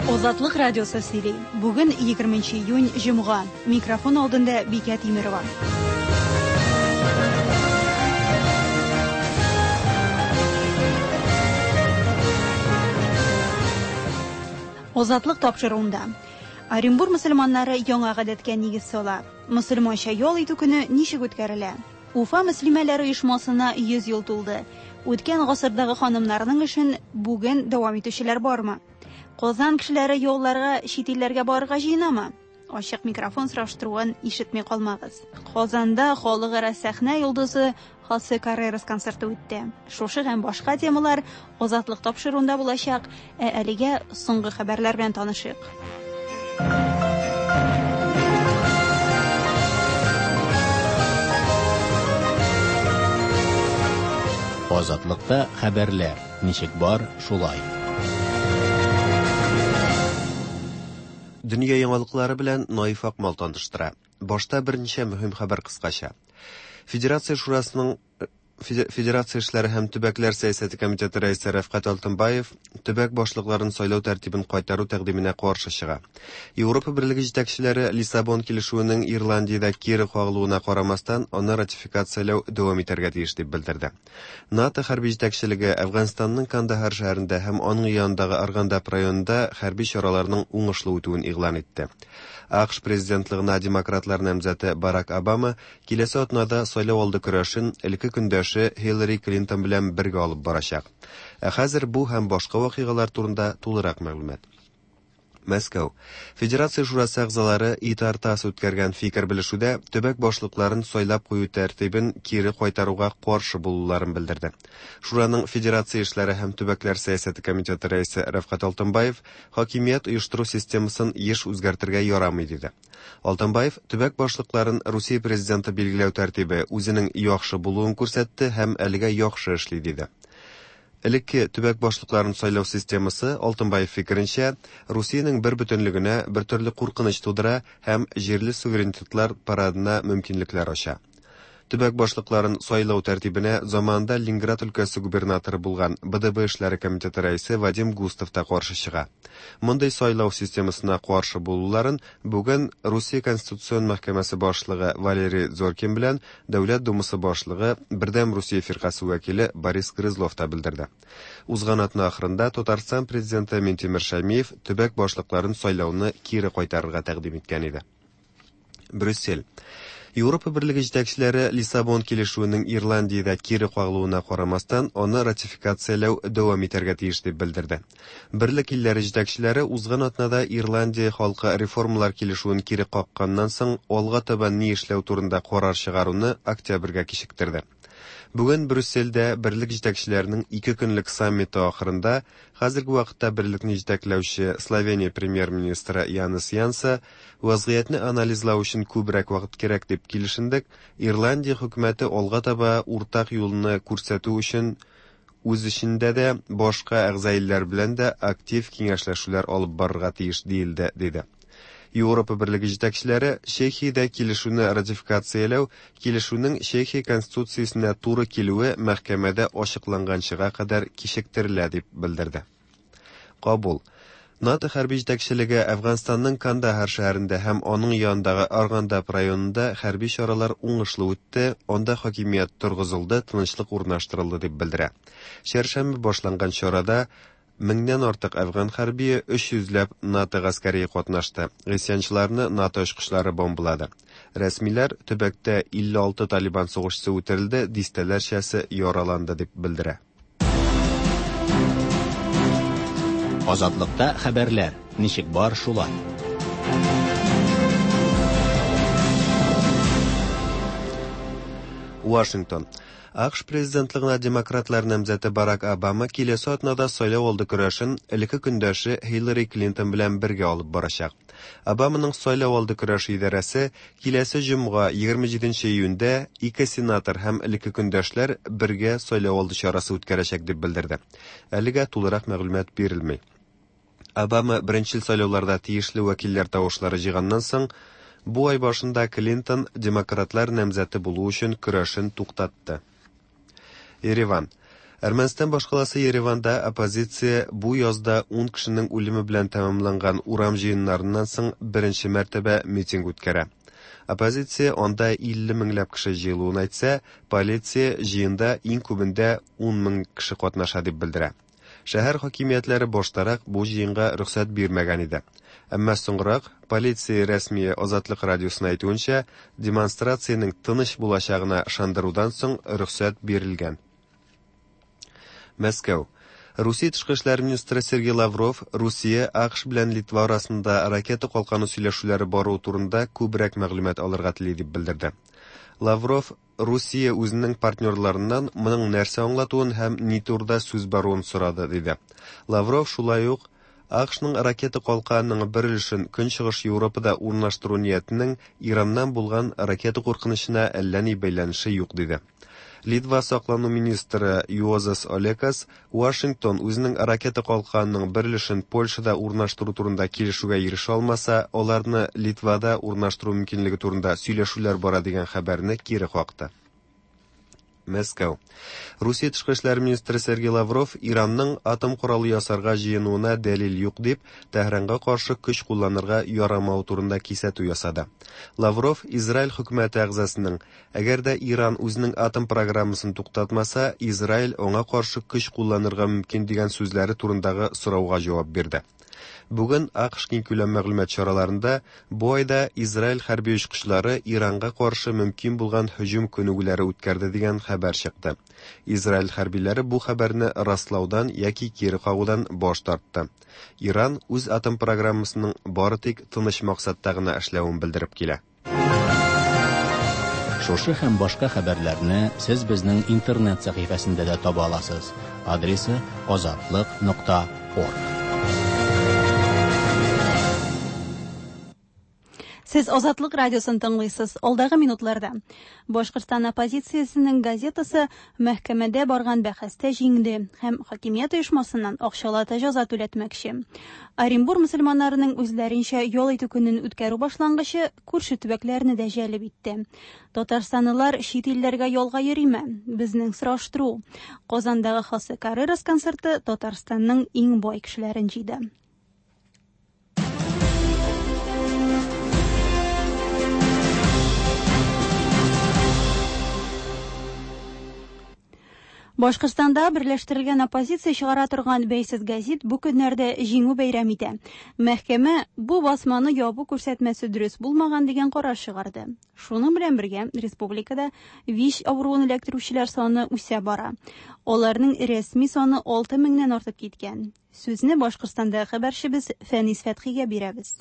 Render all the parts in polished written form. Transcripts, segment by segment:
Азатлык радиосы сөйли. Бүген 20 июнь, җомга. Микрофон алдында Бикә Тимерова. Азатлык тапшыруында. Оренбур мөселманнары яңа гадәткә нигез сала. Мөселманча ял итү көне ничек үткәрелә? Уфа мөслимәләре оешмасына 100 ел тулды. Үткән гасырдагы ханымнарның эшен бүген дәвам итүчеләр бармы? Казан кешеләре ялларга чит илләргә барырга җыенамы? Ачык микрофон сораштыруын ишетми калмагыз. Казанда халыкара сәхнә йолдызы Хосе Каррерас концерты үтте. Шушы һәм башка темалар Азатлык тапшыруында булачак, ә әлегә соңгы хәбәрләр белән танышыйк. Азатлыкта хәбәрләр ничек бар, шулай. Дөнья яңалыклары белән Наиф Акмал таныштыра. Башта берничә мөһим хәбәр кыскача. Федерация шурасының Федерация эшләре һәм төбәкләр сәясәте комитеты рәисе Рәфкать Алтынбаев төбәк башлыкларын сайлау тәртибен кайтару тәкъдименә каршы чыга. Европа Берлеге җитәкчеләре Лиссабон килешүенең Ирландиядә кире кагылуына карамастан, аны ратификацияләү дәвам итәргә тиеш дип белдерде. НАТО хәрби җитәкчелеге Әфганстанның Кандахар шәһәрендә һәм аның янындагы Аргандап районында хәрби чараларның уңышлы үтүен игълан итте. АКШ президентлыгына демократлар намзәте Барак Обама киләсе атнада сайлау алды көрәшен элекке көндәше Хиллари Клинтон белән бергә алып барачак. Ә хәзер бу һәм башка вакыйгалар турында тулырак мәгълүмат. Мәскәү. Федерация шурасы әгъзалары ИТАР-ТАСС үткәргән фикер белешүдә төбәк башлыкларын сайлап кую тәртибен кире кайтаруга каршы булуларын белдерде. Шураның Федерация эшләре һәм төбәкләр сәясәте комитеты рәисе Рәфкать Алтынбаев хакимият оештыру системасын еш үзгәртергә ярамый диде. Алтынбаев төбәк башлыкларын Русия президенты билгеләү тәртибе үзенең яхшы булуын күрсәтте һәм әлегә яхшы эшли диде. Элекке төбәк башлыкларын сайлау системасы, Алтынбаев фикеренчә, Русиянең бер бөтенлегенә бер төрле куркыныч тудыра һәм җирле суверенитетлар парадына мөмкинлекләр ача. Төбәк башлыкларын сайлау тәртибенә заманында Ленинград өлкәсе губернаторы булган БДБ эшләре комитеты рәисе Вадим Густов та каршы чыга. Мондый сайлау системасына каршы булуларын бүген Русия Конституцион мәхкәмәсе башлыгы Валерий Зоркин белән Дәүләт Думасы башлыгы, Бердәм Русия фиркасе вәкиле Борис Грызлов та белдерде. Узган атна ахырында Татарстан президенты Минтимер Шәймиев төбәк башлыкларын сайлауны кире кайтарырга тәкъдим иткән иде. Брюссель. Европа Берлеге җитәкчеләре Лиссабон килешүенең Ирландиядә кире кагылуына карамастан, аны ратификацияләү дәвам итәргә тиеш дип белдерде. Берлек илләре җитәкчеләре узган атнада Ирландия халкы реформалар килешүен кире какканнан соң алга таба ни эшләү турында карар чыгаруны октябрьгә кичектерде. Бүген Брюссельдә берлек җитәкчеләренең ике көнлек саммиты ахырында хәзерге вакытта берлекне җитәкләүче Словения премьер-министры Янес Янса вазгыятьне анализлау өчен күбрәк вакыт кирәк дип килешендек, Ирландия хөкүмәте алга таба уртак юлны күрсәтү өчен үз эчендә дә, башка әгъза илләр белән дә актив киңәшләшүләр алып барырга тиеш диелде, диде. Европа Берлеге җитәкчеләре Чехиядә килешүне ратификацияләү килешүнең Чехия конституциясенә туры килүе мәхкәмәдә ачыкланганчыга кадәр кичектерелә дип белдерде. Кабул. НАТО хәрби җитәкчелеге Әфганстанның Кандахар шәһәрендә һәм аның янындагы Аргандап районында хәрби чаралар уңышлы үтте, анда хакимият торгызылды, тынычлык урнаштырылды дип белдерә. Чәршәмбе башланган чарада меңнән артык әфган хәрбие, 300 ләп НАТО гаскәрие катнашты. Гыйсьянчыларны НАТО очкычлары бомбалады. Рәсмиләр төбәктә 56 талибан сугышчысы үтерелде, дистәләрчәсе яраланды дип белдерә. Азатлыкта хәбәрләр ничек бар шулай. Вашингтон. АКШ президентлыгына демократлар намзәте Барак Обама киләсе атнада сайлау алды көрәшен элекке көндәше Хиллари Клинтон белән бергә алып барачак. Обаманың сайлау алды көрәше идарәсе киләсе җомга 27 июньдә ике сенатор һәм элекке көндәшләр бергә сайлау алды чарасы үткәрәчәк дип белдерде. Әлегә тулырак мәгълүмат бирелми. Обама беренчел сайлауларда тиешле вәкилләр тавышлары җыйганнан соң, бу ай башында Клинтон демократлар намзәте булу өчен көрәшен туктатты. Ереван. Әрмәнстан башкаласы Ереванда оппозиция бу язда 10 кешенең үлеме белән тәмамланган урам җыеннарыннан соң беренче мәртәбә митинг үткәрә. Оппозиция анда 50 меңләп кеше җыелуын әйтсә, полиция җыенда иң күбендә 10 мең кеше катнаша дип белдерә. Шәһәр хакимиятләре баштарак бу җыенга рөхсәт бирмәгән иде. Әмма соңрак полиция рәсмие Азатлык радиосына әйтүенчә, демонстрациянең тыныч булачагына ышандырудан соң рөхсәт бирелгән. Мәскәү. Русия тышкы эшләр министры Сергей Лавров Русия, АКШ белән Литва арасында ракета калканы сөйләшүләре баруы турында күбрәк мәгълүмат алырга тели дип белдерде. Лавров Русия үзенең партнерларыннан моның нәрсә аңлатуын һәм ни турыда сүз баруын сорады, диде. Лавров шулай ук АКШның ракета калканының бер өлешен Көнчыгыш Европада урнаштыру ниятенең Ираннан булган ракета куркынычына әллә ни бәйләнеше юк, диде. Литва саклану министры Юозас Олекас Вашингтон үзенең ракета калканының бер өлешен Польшада урнаштыру турында килешүгә ирешә алмаса, аларны Литвада урнаштыру мөмкинлеге турында сөйләшүләр бара дигән хәбәрне кире какты. Мәскәү. Русия тышкы эшләр министры Сергей Лавров Иранның атом коралы ясарга җыенуына дәлил юк дип, Тәһранга каршы көч кулланырга ярамау турында кисәтү ясады. Лавров Израиль хөкүмәте әгъзасының әгәр дә Иран үзенең атом программасын туктатмаса, Израиль аңа каршы көч кулланырга мөмкин дигән сүзләре турындагы сорауга җавап бирде. Бүген АКШ киңкүләм мәгълүмат чараларында бу айда Израиль хәрби очкычлары Иранга каршы мөмкин булган һөҗүм күнегүләре үткәрде дигән хәбәр чыкты. Израиль хәрбиләре бу хәбәрне раслаудан яки кире кагудан баш тартты. Иран үз атом программасының бары тик тыныч максатта гына эшләвен белдереп килә. Шушы һәм башка хәбәрләрне сез безнең интернет сәхифәсендә дә таба аласыз. Адресы azatliq.org. Сез Азатлык радиосын тыңлыйсыз. Алдагы минутларда Башкортстан оппозициясенең газетасы мәхкәмәдә барган бәхәстә җиңде һәм хакимият оешмасыннан акчалата җәза түләтмәкче. Оренбур мөселманнарының үзләренчә ял итү көнен үткәрү башлангычы күрше төбәкләрне дә җәлеп итте. Татарстанлылар чит илләргә ялга йөриме? Безнең сораштыру. Казандагы Хосе Каррерас концерты Татарстанның иң бай кешеләрен җыйды. Башкортстанда берләштерелгән оппозиция чыгара торган бәйсез газет бу көннәрдә җиңү бәйрәм итә. Мәхкәмә бу басманы ябу күрсәтмәсе дөрес булмаган дигән карар чыгарды. Шуның белән бергә республикада ВИЧ авыруын эләктерүчеләр саны үсә бара. Аларның рәсми саны 6 меңнән артып киткән. Сүзне Башкортстанда хәбәрчебез Фәнис Фәтхигә бирәбез.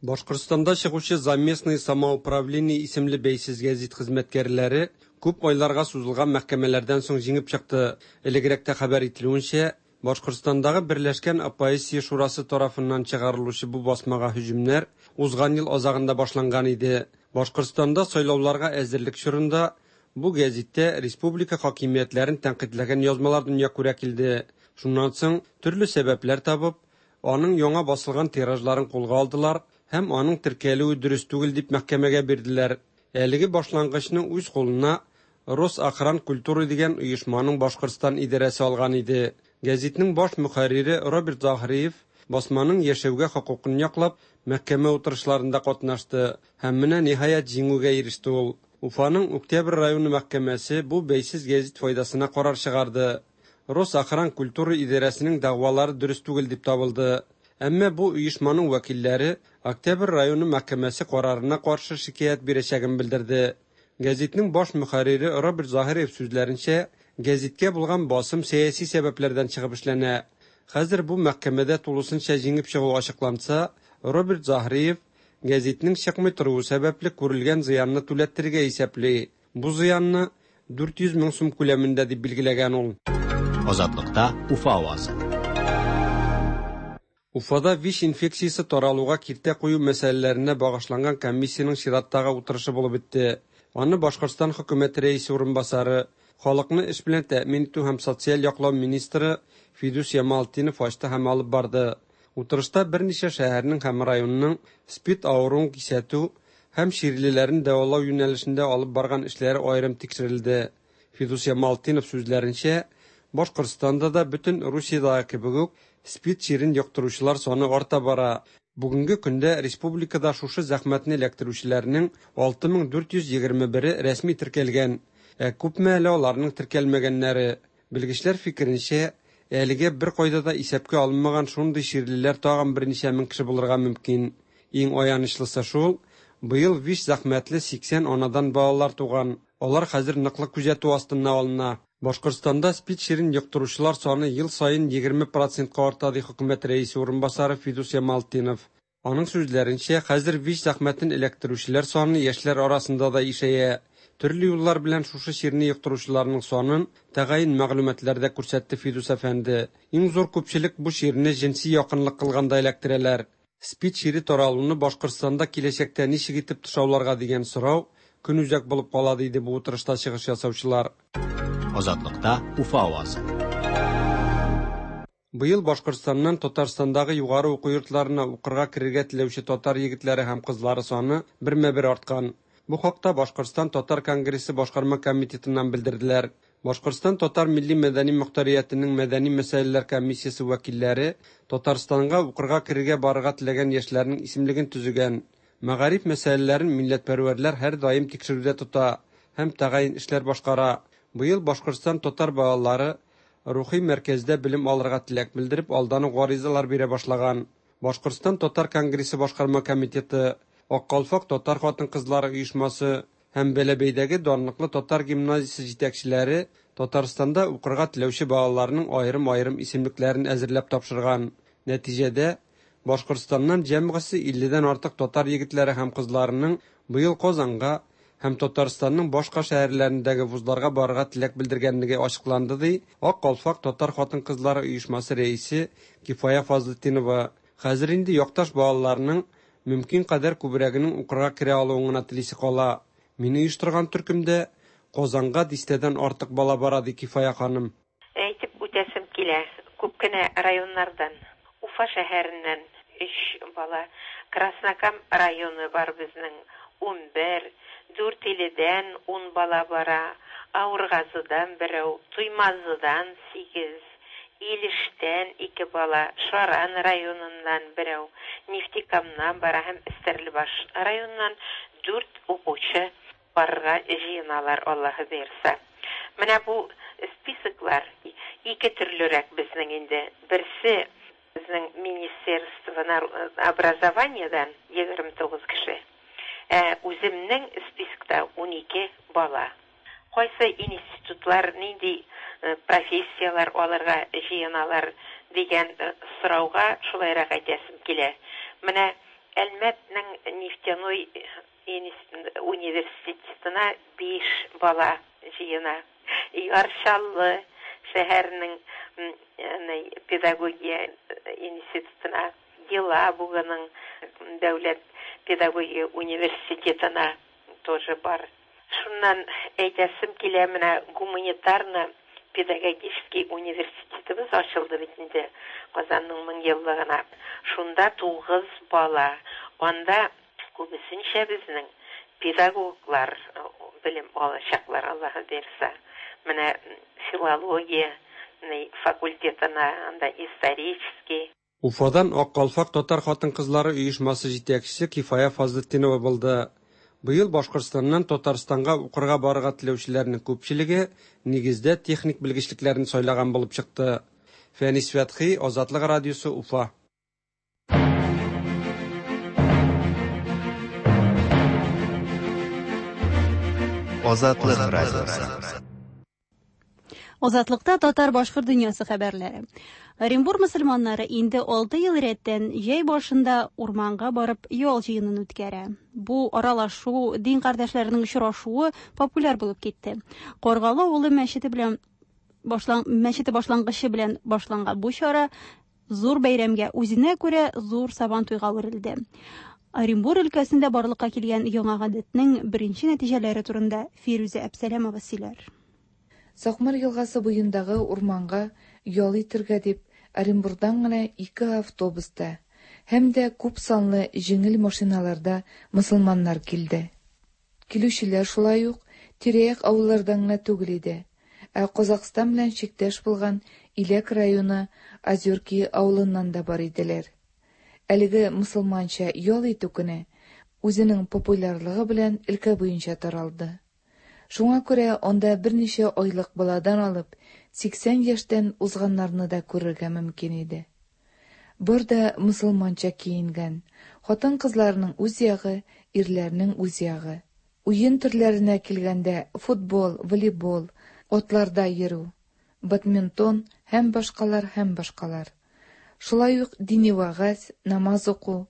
Башкортстанда чыгучы «За местное самоуправление» исемле бәйсез гәзит хезмәткәрләре күп айларга сузылган мәхкәмәләрдән соң җиңеп чыкты. Элегрәк тә хәбәр ителүенчә, Башкортстандагы Берләшкән оппозиция шурасы тарафыннан чыгарылучы бу басмага һөҗүмнәр узган ел азагында башланган иде. Башкортстанда сайлауларга әзерлек чорында бу гәзиттә республика хакимиятләрен тәнкыйтьләгән язмалар дөнья күрә килде. Шуннан соң төрле сәбәпләр табып, аның яңа басылган тиражларын кулга алдылар һәм аның теркәлүе дөрес түгел дип мәхкәмәгә бирделәр. Әлеге башлангычны үз кулына Росохран культуры дигән оешманың Башкортстан идарәсе алган иде. Гәзитнең баш мөхәррире Роберт Заһриев басманың яшәүгә хокукын яклап, мәхкәмә утырышларында катнашты һәм менә ниһаять җиңүгә иреште ул. Уфаның Октябрь районы мәхкәмәсе бу бәйсез гәзит файдасына карар чыгарды. Росохран культура идарәсенең дәгъвалары дөрес түгел дип табылды. Әмма бу оешманың вәкилләре Октябрь районы мәхкәмәсе карарына каршы шикаять бирәчәген белдерде. Гәзитнең баш мөхәррире Роберт Заһириев сүзләренчә, гәзиткә булган басым сәяси сәбәпләрдән чыгып эшләнә. Хәзер бу мәхкәмәдә тулысынча җиңеп чыгу ачыкланса, Роберт Заһриев гәзитнең чыкмый торуы сәбәпле күрелгән зыянны түләттерергә исәпли. Бу зыянны 400 мең сум күләмендә дип билгеләгән ул. Азатлыкта Уфа авазы. Уфада ВИЧ инфекциясе таралуга киртә кую мәсьәләләренә багышланган комиссиянең чираттагы утырышы булып үтте. Аны Башкортстан хөкүмәте рәисе урынбасары, халыкны эш белән тәэмин итү һәм социаль яклау министры Фидус Ямалтдинов ачты һәм алып барды. Утырышта берничә шәһәрнең һәм районның СПИД авыруын кисәтү һәм чирлеләрен дәвалау юнәлешендә алып барган эшләре аерым тикшерелде. Фидус Ямалтдинов сүзләренчә, Башкортстанда да бөтен Русиядәге кебек үк СПИД чирен йоктыручылар саны арта бара. Бүгенге көндә республикада шушы зәхмәтне эләктерүчеләрнең 6421-е рәсми теркәлгән. Ә күпме әле аларның теркәлмәгәннәре? Белгечләр фикеренчә, әлегә беркайда да исәпкә алынмаган шундый чирлеләр тагын берничә мең кеше булырга мөмкин. Иң аянычлысы шул, быел вич зәхмәтле 80 анадан балалар туган. Алар хәзер ныклы күзәтү астына алына. Башкортстанда СПИД чирен йоктыручылар саны ел саен 20 процентка арта, ди хөкүмәт рәисе урынбасары Фидус Ямалтдинов. Аның сүзләренчә, хәзер ВИЧ зәхмәтен эләктерүчеләр саны яшьләр арасында да ишәя. Төрле юллар белән шушы чирне йоктыручыларның санын тәгаен мәгълүматлар да күрсәтте Фидус әфәнде. Иң зур күпчелек бу чирне җенси якынлык кылганда эләктерәләр. СПИД чире таралуны Башкортстанда киләчәктә ничек итеп тышауларга дигән сорау көнүзәк булып кала, диде бу утырышта чыгыш ясаучылар. Азатлыкта Уфа авазы. Быел Башкортстаннан Татарстандагы югары уку йортларына укырга керергә теләүче татар егетләре һәм кызлары саны бермә-бер арткан. Бу хакта Башкортстан татар конгрессы башкарма комитетыннан белдерделәр. Башкортстан татар милли-мәдәни мохтариятенең мәдәни мәсьәләләр комиссиясе вәкилләре Татарстанга укырга керергә барырга теләгән яшьләрнең исемлеген төзегән. Мәгариф мәсьәләләрен милләтпәрвәрләр һәрдаим тикшерүдә тота һәм тәгаен эшләр башкара. Быел Башкортстан татар балалары рухи мәркәздә белем алырга теләк белдереп алдан ук гаризалар бирә башлаган. Башкортстан татар конгрессы башкарма комитеты, Ак калфак татар хатын-кызлары оешмасы һәм Бәләбәйдәге данлыклы татар гимназиясе җитәкчеләре Татарстанда укырга теләүче балаларның аерым-аерым исемлекләрен әзерләп тапшырган. Нәтиҗәдә, Башкортстаннан җәмгысе 50дән артык татар егетләре һәм кызларының быел Казанга һәм Татарстанның башка шәһәрләрендәге вузларга барырга теләк белдергәнлеге ачыкланды, ди Ак калфак татар хатын-кызлары оешмасы рәисе Кифая Фазлытдинова. Хәзер инде якташ балаларның мөмкин кадәр күбрәгенең укырга керә алуын гына телисе кала. Мин оештырган төркемдә Казанга дистәдән артык бала бара, ди Кифая ханым. Әйтеп үтәсем килә, күп кенә районнардан, Уфа шәһәреннән өч бала, Краснокам районы бар безнең, 11, Дүртөйледән ун бала бара, Авыргазыдан берәү, Туймазыдан сигез, Илештән ике бала, Шаран районыннан берәү, Нефтекамнан бара һәм Стәрлебаш районыннан дүрт укучы барырга җыеналар, Аллаһы боерса. Менә бу списоклар ике төрлерәк безнең инде. Берсе безнең Министерство образованиедан 29 кеше. Ә үземнең спискта 12 бала. Кайсы институтлар нинди профессияләр алырга җыеналар дигән сорауга шулайрак әйтәсем килә. Менә Әлмәтнең нефтяной университетына 5 бала җыена. Яр Чаллы шәһәренең педагогия институтына, Елабуганың дәүләт педагогия университетына тоже бар. Шуннан әйтәсем килә, менә гуманитарно педагогический университетыбыз ачылды бит инде Казанның 1000 еллыгына. Шунда 9 бала. Анда күбесенчә безнең педагоглар белем алачаклар, Аллаһы боерса. Менә филология факультетына, анда исторический. Уфадан Ак калфак татар хатын-кызлары оешмасы җитәкчесе Кифая Фазлытдинова булды. Быел Башкортстаннан Татарстанга укырга барырга теләүчеләрнең күпчелеге нигездә техник белгечлекләрне сайлаган булып чыкты. Фәнис Фәтхи, Азатлык радиосы, Уфа. Азатлык радиосы. Азатлыкта татар башкорт дөньясы хәбәрләре. Оренбур мөселманнары инде 6 ел рәттән җәй башында урманга барып ял җыенын үткәрә. Бу аралашу, дин кардәшләренең очрашуы популяр булып китте. Каргалы авылы мәчете белән башлан мәчете башлангычы белән башланган бу чара зур бәйрәмгә үзенә күрә зур сабантуйга әверелде. Оренбур өлкәсендә барлыкка килгән яңа гадәтнең беренче нәтиҗәләре турында Фирүзә Әпсәләмова сөйләр. Сакмар елгасы буендагы урманга ял итергә дип Оренбурдан гына ике автобуста һәм дә күп санлы җиңел машиналарда мөселманнар килде. Килүчеләр шулай ук тирә-як авыллардан гына түгел иде, ә Казакъстан белән чиктәш булган Иләк районы Озерки авылыннан да бар иделәр. Әлеге мосылманча ял итү көне үзенең популярлыгы белән өлкә буенча таралды. Шуңа күрә анда берничә айлык баладан алып 80 яшьтән узганнарны да күрергә мөмкин иде. Бар да мосылманча киенгән, хатын-кызларның үз ягы, ирләрнең үз ягы. Уен төрләренә килгәндә, футбол, волейбол, атларда йөрү, бадминтон һәм башкалар һәм башкалар. Шулай ук дини вәгазь, намаз уку,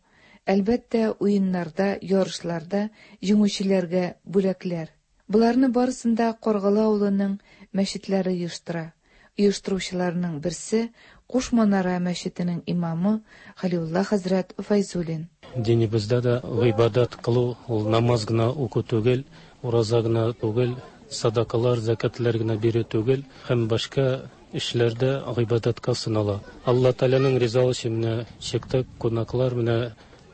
әлбәттә, уеннарда, ярышларда җиңүчеләргә бүләкләр. Боларны барысын да Каргалы авылының мәчетләре оештыра. Оештыручыларның берсе, Куш Манара мәчетенең имамы Хәлиулла хәзрәт Фәйзуллин. Динебездә дә гыйбадәт кылу ул намаз гына уку түгел, ураза гына түгел, садакалар, зәкятләр генә бирү түгел һәм башка эшләр дә гыйбадәткә санала. Алла Тәгаләнең ризалыгы өчен менә чыктык, кунаклар менә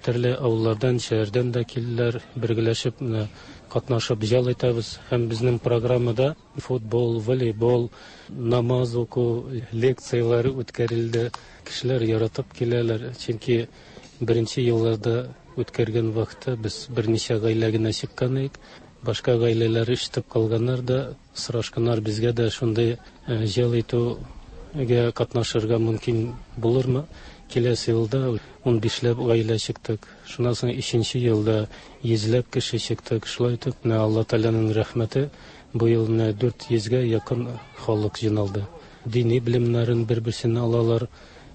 төрле авыллардан, шәһәрдән дә килделәр, бергәләшеп менә катнашып ял итәбез. Һәм безнең программада футбол, волейбол, намаз уку, лекцияләр үткәрелде. Кешеләр яратып киләләр, чөнки беренче елларда үткәргән вакытта без берничә гаилә генә чыккан идек. Башка гаиләләр ишетеп калганнар да, сорашканнар безгә дә шундый ял итүгә катнашырга мөмкин булырмы? Киләсе елда 15ләп гаилә чыктык. Шуннан соң өченче елда йөзләп кеше чыктык. Шулай итеп, менә Алла Тәгаләнең рәхмәте, бу ел менә 400гә якын халык җыйналды. Дини белемнәрен бер-берсеннән алалар,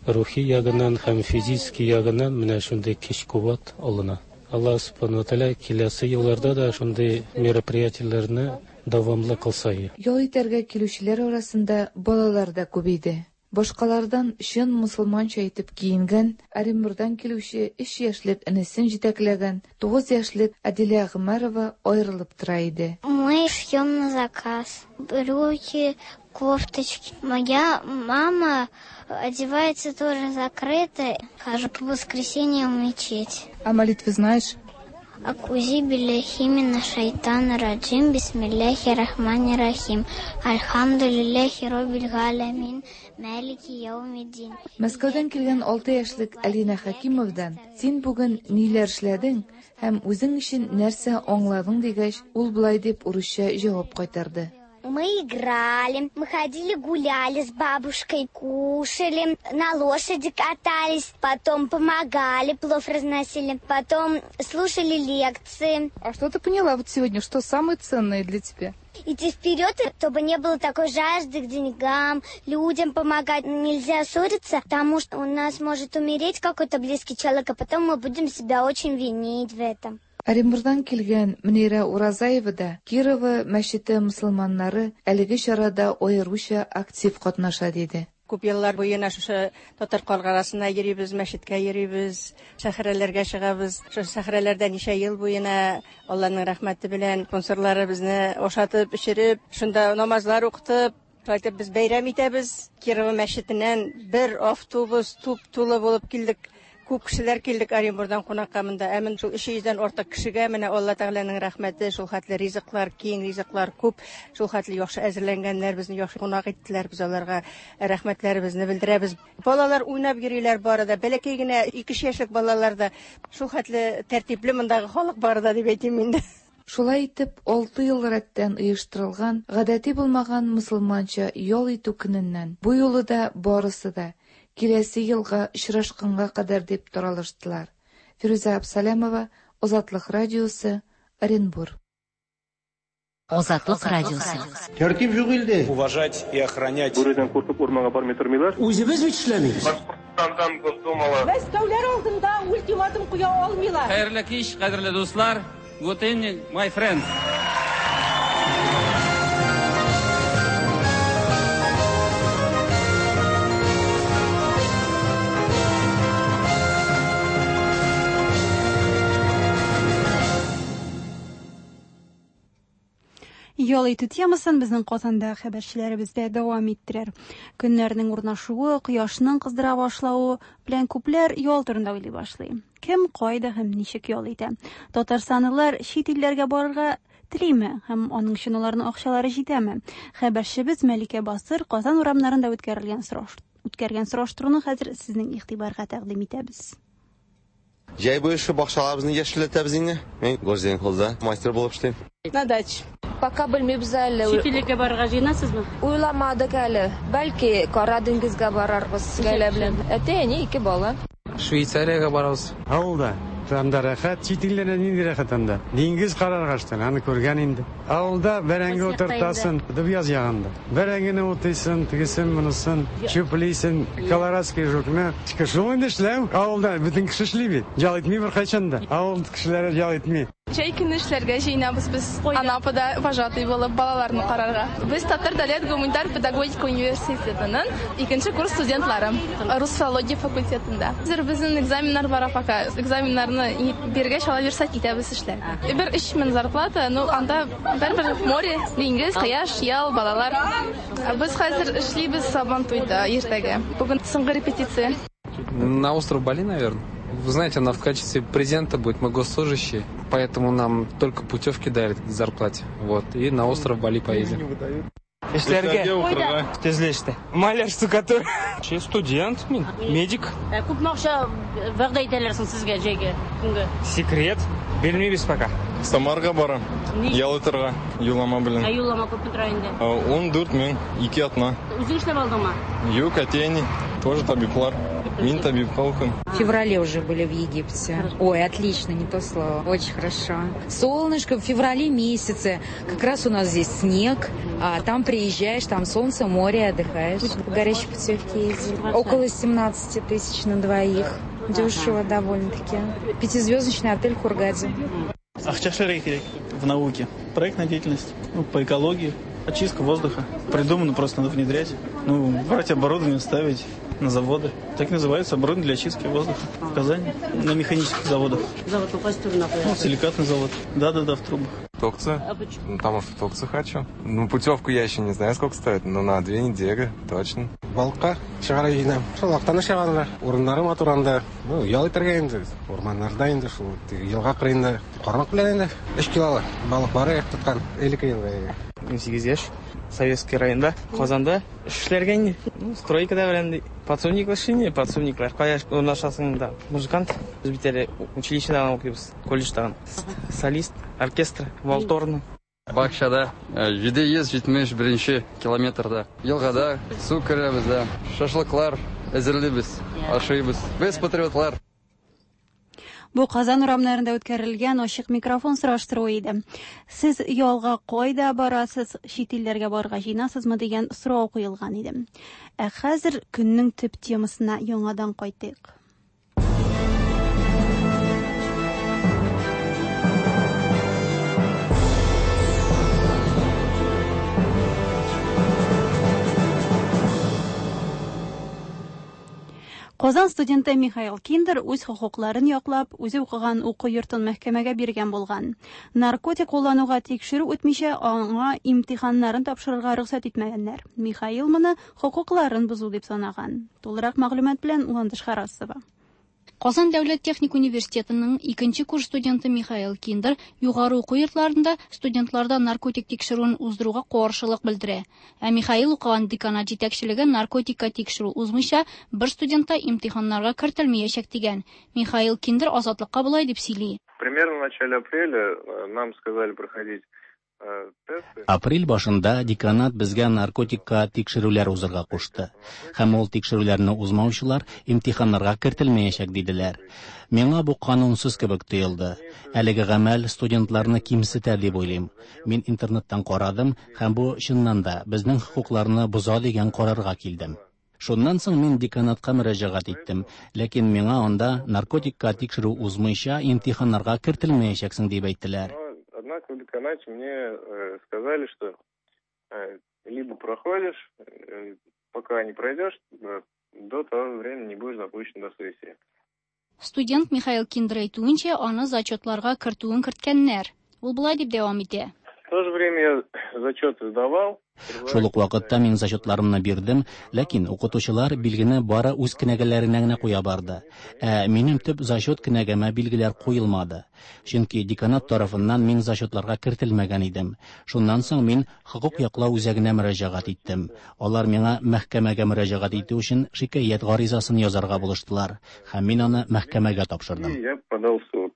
рухи ягыннан һәм физический ягыннан менә шундый көч-куәт алына. Алла Субхану Тәгалә киләсе елларда да шундый мероприятиеләрне дәвамлы кылса. Ял итәргә килүчеләр арасында балалар да күп иде. Башкалардан чын мусульманча итеп киенгән, Оренбургтан килүче 3 яшьлек энесен җитәкләгән 9 яшьлек Адилә Гомәрова аерылып тора иде. Мы шьем на заказ. Брюки, кофточки. Моя мама одевается тоже закрыто. Хожу по воскресеньям в мечеть. А молитвы знаешь? Акузи билляхи мина шайтана раджим, бисмилляхи рахмани рахим, альхамдулиллахи роббил галямин, малики яумиддин. Мәскәүдән килгән 6 яшьлек Алина Хакимовдан син бүген ниләр эшләдең һәм үзең өчен нәрсә аңладың дигәч, ул болай дип урысча җавап кайтарды. Мы играли, мы ходили гуляли с бабушкой, кушали, на лошади катались, потом помогали, плов разносили, потом слушали лекции. А что ты поняла вот сегодня, что самое ценное для тебя? Идти вперед, чтобы не было такой жажды к деньгам, людям помогать. Нельзя ссориться, потому что у нас может умереть какой-то близкий человек, а потом мы будем себя очень винить в этом. Оренбургтан килгән Мөнирә Уразаева да Кирово мәчете мусульманнары әлеге чарада аеруча актив катнаша диде. Күп еллар буена шушы татар каргарасына йөрибез, мәчеткә йөрибез, сәхрәләргә чыгабыз. Шушы сәхрәләрдә ничә ел буена Алланың рәхмәте белән спонсорлары безне ашатып, эчереп, шунда намазлар укытып, шулай итеп без бәйрәм итәбез. Кирово мәчетеннән бер автобус туп-тулы булып килдек. Күп кешеләр килдек Оренбургтан кунакка монда. Ә мен шул 300дән артык кешегә менә Алла Тәгаләнең рәхмәте, шул хәтле ризыклар, киң ризыклар күп, шул хәтле яхшы әзерләнгәннәр, безне яхшы кунак иттеләр. Без аларга рәхмәтләребезне белдерәбез. Балалар уйнап йөриләр бары да, бәләкәй генә 2 яшьлек балалар да шул хәтле тәртипле мондагы халык бары да дип әйтим инде. Шулай итеп, 6 ел рәттән оештырылган гадәти булмаган мусульманча ял итү көненнән бу юлы да барысы да киләсе елга очрашканга кадәр дип таралыштылар. Фирүзә Абсалямова, Азатлык радиосы, Оренбур. Азатлык радиосы. Тәртип юк илдә. Уважать и охранять. Бүредән куркып урманга бармый тормыйлар. Үзебез бит эшләмибез. Башкортстандан Госдумалы. Мәскәүләр алдында ультиматум куя алмыйлар. Хәерле кич, кадерле дуслар. Good evening, my friends. Ял итү темасын безнең Казанда хәбәрчеләребез дә дәвам иттерер. Көннәрнең урнашуы, кояшның кыздыра башлавы белән күпләр ял турында уйлый башлый. Кем, кайда һәм ничек ял итә? Татарстанлылар чит илләргә барырга телиме һәм аның өчен аларның акчалары җитәме? Хәбәрчебез Мәликә Басыр Казан урамнарында үткәрелгән сораш үткәргән сораштыруны хәзер сезнең игътибарга тәкъдим итәбез. Җәй буе шу бакчаларыбызны яшелләтәбез инде. Мин Горзеленхозда мастер булып эшлим. На даче. Пока белмибез әле. Чит илгә барырга җыенасызмы? Уйламадык әле. Бәлки, Кара диңгезгә барарбыз гаилә белән. Әти-әни, ике бала. Швейцариягә барабыз. Авылда. Анда рәхәт, чит илләрдә нинди рәхәт анда. Диңгез карарга штан, аны күргән инде. Авылда бәрәңге утыртасың, Дөбъяз ягында. Бәрәңгене утыйсың, тегесен, монысын, чүплисең, колорадский жукны. Шул инде эшләү. Авылда бөтен кеше эшли бит. Ял итми беркайчан да. Авыл кешеләре ял итми. Җәй көне эшләргә җыенабыз без Анапада вожатый булып балаларны карарга. Без Татар дәүләт гуманитар педагогика университетының икенче курс студентлары. Рус филология факультетында. Хәзер безнең экзаменнар бара пока. Экзаменнарны биргәч, ала бирсә китәбез эшләргә. Бер 3000 зарплата, ну анда барыбер море, диңгез, кояш, ял, балалар. Без хәзер эшлибез Сабантуйда иртәгә. Бүген соңгы репетиция. На остров Бали, наверное. Вы знаете, она в качестве презента будет, мы госслужащие, поэтому нам только путевки дали к зарплате. Вот, и на остров Бали поедем. Эшләргә. Кайда? Төзелештә. Маляр, штукатур. Студент мин, медик. Күпме акча вәгъдә итәләр соң сезгә җәйгә көнгә? Секрет. Белмибез пока. Самарга барам. Ял итәргә, юллама белән. Ә юллама күпме тора инде? 14 мең, ике атна. Үзең эшләп алдыңмы? Юк, әти-әни тоже табиблар. Мин табибка укыйм. В феврале уже были в Египте. Ой, отлично, не то слово. Очень хорошо. Солнышко в феврале месяце. Как раз у нас здесь снег. А там приезжаешь, там солнце, море, отдыхаешь. По горячей путевке ездили. Около 17 тысяч на двоих. Дешево довольно-таки. Пятизвездочный отель в Хургаде. Акча эшләргә кирәк в науке. Проектная деятельность, ну, по экологии, очистка воздуха. Придумано, просто надо внедрять. Ну, брать оборудование, ставить на заводы. Так называется оборудование для очистки воздуха в Казани. На механических заводах. Завод Ну, силикатный завод. Да-да-да, в трубах. Турцию. А почему? Ну, потому что в Турцию хочу. Ну, путевку я еще не знаю, сколько стоит, но на 2 недели, точно. Балыкка чыгарга җыенам. Шул Актаныш ягында, урыннары матур анда. Ну, ял итәргә инде, урманнарда инде шул теге елга кырыенда кармак белән инде 3 килолы балык бар тоткан 52 елга. 18 яшь. Советский районда, Казанда эшләргә инде. Ну, стройкада белән подсобник эшли, подсобниклар. Кая урнашасың да? Музыкант. Без бит әле училищеда укыйбыз, колледжда. Солист, оркестр, валторна. Бакчада 771 километрда. Елгада су керәбез дә, шашлыклар әзерлибез, ашыйбыз. Без патриотлар. Бу Казан урамнарында үткәрелгән ачык микрофон сораштыруы иде. Сез ялга кайда барасыз, чит илләргә барырга җыенасызмы дигән сорау куелган иде. Ә хәзер көннең төп темасына яңадан кайтыйк. Казан студенты Михаил Киндер үз хокукларын яклап, үзе укыган уку йортын мәхкәмәгә биргән булган. Наркотик куллануга тикшерү үтмичә, аңа имтиханнарын тапшырырга рөхсәт итмәгәннәр. Михаил моны хокукларын бозу дип санаган. Тулырак мәгълүмат белән Ландыш Харасова. Казан дәүләт техник университетының икенче курс студенты Михаил Киндер югары уку йортларында студентларда наркотик тикшерүен уздыруга каршылык белдерә. Ә Михаил укыган деканат җитәкчелеге наркотикка тикшерү узмыйча бер студент та имтиханнарга кертелмәячәк дигән. Михаил Киндер Азатлыкка болай дип сөйли. Примерно в начале апреля нам сказали проходить тесты. Апрель башында деканат безгә наркотикка тикшерүләр узырга кушты. Һәм ул тикшерүләрне узмаучылар имтиханнарга кертелмәячәк диделәр. Миңа бу канунсыз кебек тоелды. Әлеге гамәл студентларны кимсетә дип уйлыйм. Мин интернеттан карадым һәм бу чыннан да безнең хокукларны боза дигән карарга килдем. Шуннан соң мин деканатка мөрәҗәгать иттем, ләкин миңа анда наркотикка тикшерү узмыйча имтиханнарга кертелмәячәксең дип әйттеләр. Однако в деканате мне сказали, что либо проходишь, пока не пройдешь, до того времени не будешь допущен до сессии. Студент Михаил Киндер әйтүенчә, аны зачетларга кертүен керткәннәр. Ул болай дип дәвам итә. В то же время я зачеты сдавал. Шул ук вакытта мин зачетларымны бирдем, ләкин укытучылар билгене бары үз кенәгәләренә генә куя барды. Ә минем төп зачет кенәгәмә билгеләр куелмады. Чөнки деканат тарафыннан мин зачетларга кертелмәгән идем. Шуннан соң мин хокук яклау үзәгенә мөрәҗәгать иттем. Алар миңа мәхкәмәгә мөрәҗәгать итү өчен шикаять гаризасын язарга булыштылар һәм мин аны мәхкәмәгә тапшырдым. И я подал в суд.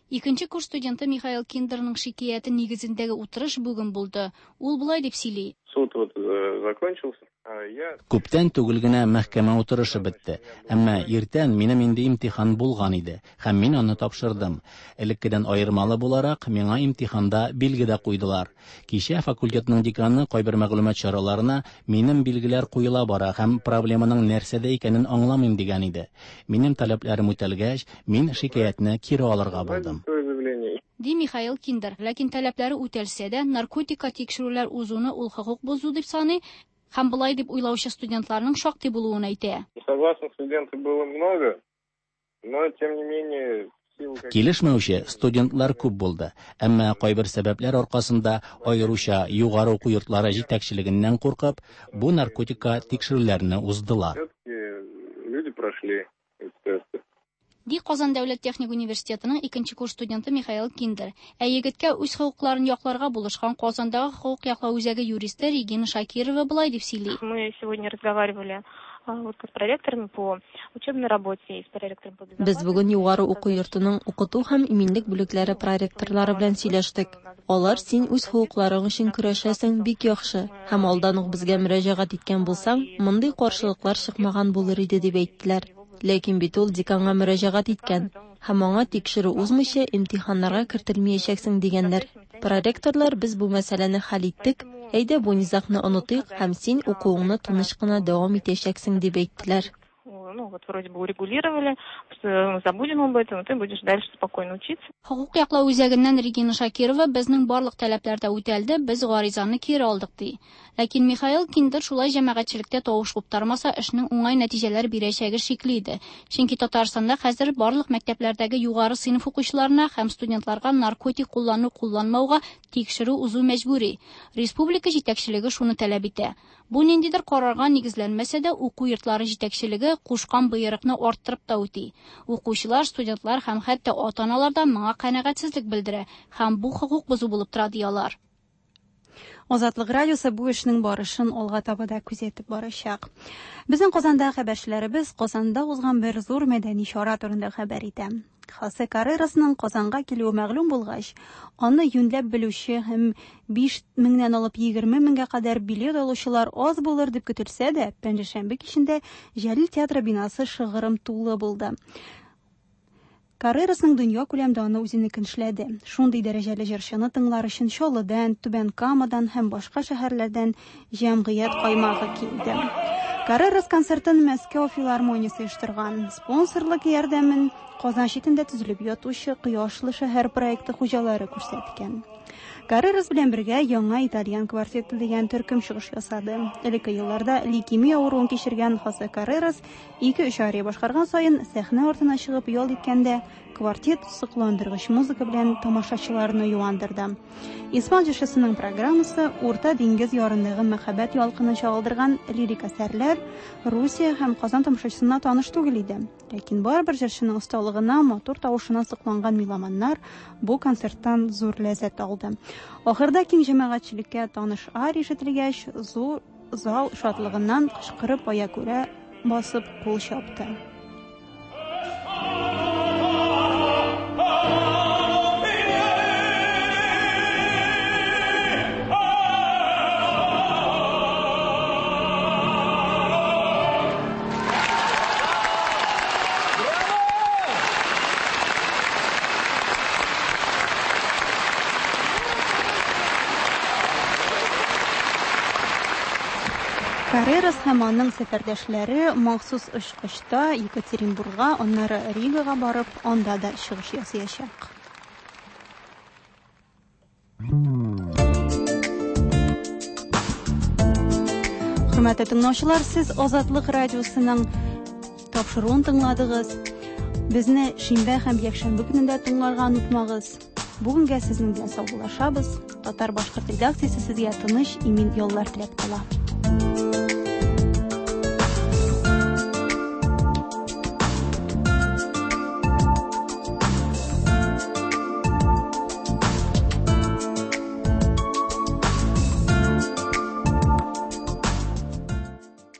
Икенче курс студенты Михаил Киндерның шикаяте нигезендәге утырыш бүген булды. Ул болай дип сөйли. Суд вот закончился. А я Күптән түгел генә мәхкәмә утырышы бетте. Әмма иртән минем инде имтихан булган иде һәм мин аны тапшырдым. Элеккедән аермалы буларак, миңа имтиханда билге дә куйдылар. Кичә факультетның деканы кайбер мәгълүмат чараларына минем билгеләр куела бара һәм проблеманың нәрсәдә икәнен аңламыйм дигән иде. Минем таләпләрем үтәлгәч, мин шикаятьне кире алырга булдым. свое заявление. Ди Михаил Киндер. Ләкин таләпләре үтәлсә дә, наркотикка тикшерүләр узуны ул хокук бозу дип саный һәм болай дип уйлаучы студентларның шактый булуын әйтә. Несогласных студентов было много, но тем не менее в силу каких- Килешмәүче студентлар күп булды, әмма кайбер сәбәпләр аркасында, аеруча югары уку йортлары җитәкчелегеннән куркып, бу наркотикка тикшерүләрне уздылар. все-таки люди прошли эти тесты. Ди Казан дәүләт техник университетының икенче курс студенты Михаил Киндер. Ә егеткә үз хокукларын якларга булышкан Казандагы хокук яклау үзәге юристы Регина Шакирова болай дип сөйли. Мы сегодня разговаривали вот с проректорами по учебной работе и с проректором по Без бүген югары уку йортының укыту һәм иминлек бүлекләре проректорлары белән сөйләштек. Алар син үз хокукларың өчен көрәшәсең, бик яхшы, һәм алдан ук безгә мөрәҗәгать иткән булсаң, мондый каршылыклар чыкмаган булыр иде дип әйттеләр. Ләкин бит ул деканга мөрәҗәгать иткән һәм аңа тикшерү узмыйча имтиханнарга кертелмәячәксең дигәннәр. Проректорлар без бу мәсьәләне хәл иттек, әйдә бу низагны онытыйк һәм син укуыңны тыныч кына дәвам итәчәксең дип әйттеләр. Ну, вот вроде бы урегулировали, что забудем об этом, и ты будешь дальше спокойно учиться. Хокук яклау үзәгеннән Регина Шакирова безнең барлык таләпләр дә үтәлде, без гаризаны кире алдык ди. Ләкин Михаил Киндер шулай җәмәгатьчелектә тавыш куптармаса, эшнең уңай нәтиҗәләр бирәчәге шикле иде. Чөнки Татарстанда хәзер барлык мәктәпләрдәге югары сыйныф укучыларына һәм студентларга наркотик куллану-кулланмауга тикшерү узу мәҗбүри. Республика җитәкчелеге шуны таләп итә. Бу ниндидер карарга нигезләнмәсә дә, уку йортлары җитәкчелеге кушкан боерыкны арттырып та үти. Укучылар, студентлар һәм хәтта ата-аналар да моңа канәгатьсезлек белдерә һәм бу хокук бозу булып тора ди алар. Азатлык радиосы бу эшнең барышын алга таба да күзәтеп барачак. Безнең Казанда хәбәрчеләребез Казанда узган бер зур мәдәни чара турында хәбәр итә. Хосе Каррерасның Казанга килүе мәгълүм булгач, аны юньләп белүче һәм 5 меңнән алып 20 меңгә кадәр билет алучылар аз булыр дип көтелсә дә, пәнҗешәмбе кичендә Җәлил театры бинасы шыгрым тулы булды. Каррерасның дөнья күләм даны үзенекен эшләде. Шундый дәрәҗәле җырчыны тыңлар өчен Чаллыдан, Түбән Камадан һәм башка шәһәрләрдән җәмгыять каймагы килде. Каррерас концертын Мәскәү филармониясе оештырган. Спонсорлык ярдәмен Казан читендә төзелеп ятучы Кояшлы шәһәр проекты хуҗалары күрсәткән. Каррерас белән бергә яңа итальян квартеты дигән төркем чыгыш ясады. Элекке елларда лейкемия авыруын кичергән Хосе Каррерас 2-3 ария башкарган саен сәхнә артына чыгып ял иткәндә квартет сокландыргыч музыка белән тамашачыларны юандырды. Испан җырчысының программасы Урта диңгез ярындагы мәхәббәт ялкынын чагылдырган лирик әсәрләр Русия һәм Казан тамашачысына таныш түгел иде. Ләкин барыбер җырчының осталыгына, матур тавышына сокланган меломаннар бу концерттан зур ләззәт алды. Ахырда киң җәмәгатьчелеккә таныш ария ишетелгәч, зур зал шатлыгыннан кычкырып аягүрә басып кул чапты. Каррерас һәм аның сәфәрдәшләре махсус очкычта Екатеринбургка, аннары Ригага барып, анда да чыгыш ясаячак. Хөрмәтле тыңлаучылар, сез Азатлык радиосының тапшыруын тыңладыгыз. Безне шимбә һәм якшәмбе көнендә тыңларга онытмагыз. Бүгенгә сезнең белән саубуллашабыз. Татар-башкорт редакциясе сезгә тыныч, имин яллар теләп кала.